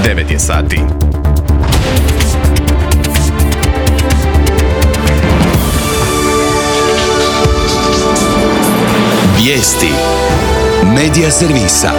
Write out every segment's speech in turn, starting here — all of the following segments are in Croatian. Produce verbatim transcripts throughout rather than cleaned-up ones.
devet je sati. Vijesti Medija servisa.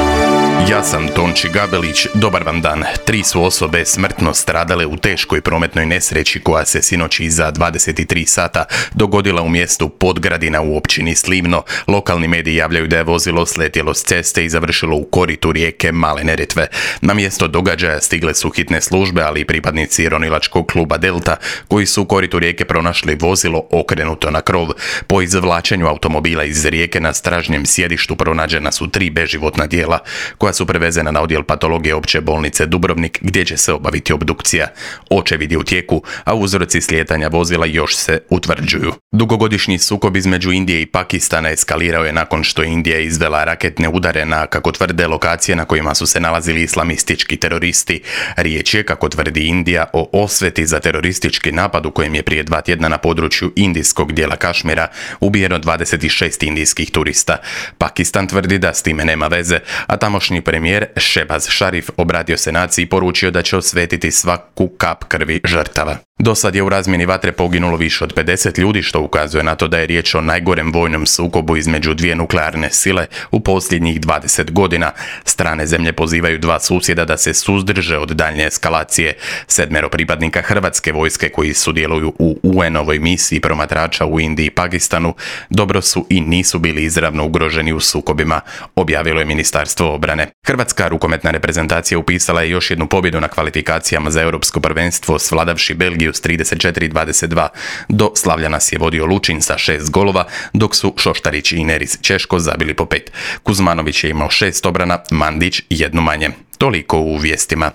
Ja sam Tonči Gabelić, dobar vam dan. Tri su osobe smrtno stradale u teškoj prometnoj nesreći koja se sinoć iza dvadeset tri sata dogodila u mjestu Podgradina u općini Slivno. Lokalni mediji javljaju da je vozilo sletjelo s ceste i završilo u koritu rijeke Male Neretve. Na mjesto događaja stigle su hitne službe, ali i pripadnici ronilačkog kluba Delta, koji su u koritu rijeke pronašli vozilo okrenuto na krov. Po izvlačenju automobila iz rijeke na stražnjem sjedištu pronađena su tri beživotna tijela, koja su prevezena na odjel patologije opće bolnice Dubrovnik, gdje će se obaviti obdukcija. Očevid je u tijeku, a uzroci slijetanja vozila još se utvrđuju. Dugogodišnji sukob između Indije i Pakistana eskalirao je nakon što je Indija izvela raketne udare na, kako tvrde, lokacije na kojima su se nalazili islamistički teroristi. Riječ je, kako tvrdi Indija, o osveti za teroristički napad u kojem je prije dva tjedna na području indijskog dijela Kašmira ubijeno dvadeset šest indijskih turista. Pakistan tvrdi da s time nema veze, a tamošnji premijer Shehbaz Sharif obratio se naciji i poručio da će osvetiti svaku kap krvi žrtava. Do sad je u razmjeni vatre poginulo više od pedeset ljudi, što ukazuje na to da je riječ o najgorem vojnom sukobu između dvije nuklearne sile u posljednjih dvadeset godina. Strane zemlje pozivaju dva susjeda da se suzdrže od daljnje eskalacije. Sedmero pripadnika hrvatske vojske koji sudjeluju u U N-ovoj misiji promatrača u Indiji i Pakistanu dobro su i nisu bili izravno ugroženi u sukobima, objavilo je Ministarstvo obrane. Hrvatska rukometna reprezentacija upisala je još jednu pobjedu na kvalifikacijama za europsko prvenstvo, svladavši Belgiju s trideset četiri dvadeset dva. Do slavlja nas je vodio Lučin sa šest golova, dok su Šoštarić i Neris Češko zabili po pet. Kuzmanović je imao šest obrana, Mandić jednu manje. Toliko u vijestima.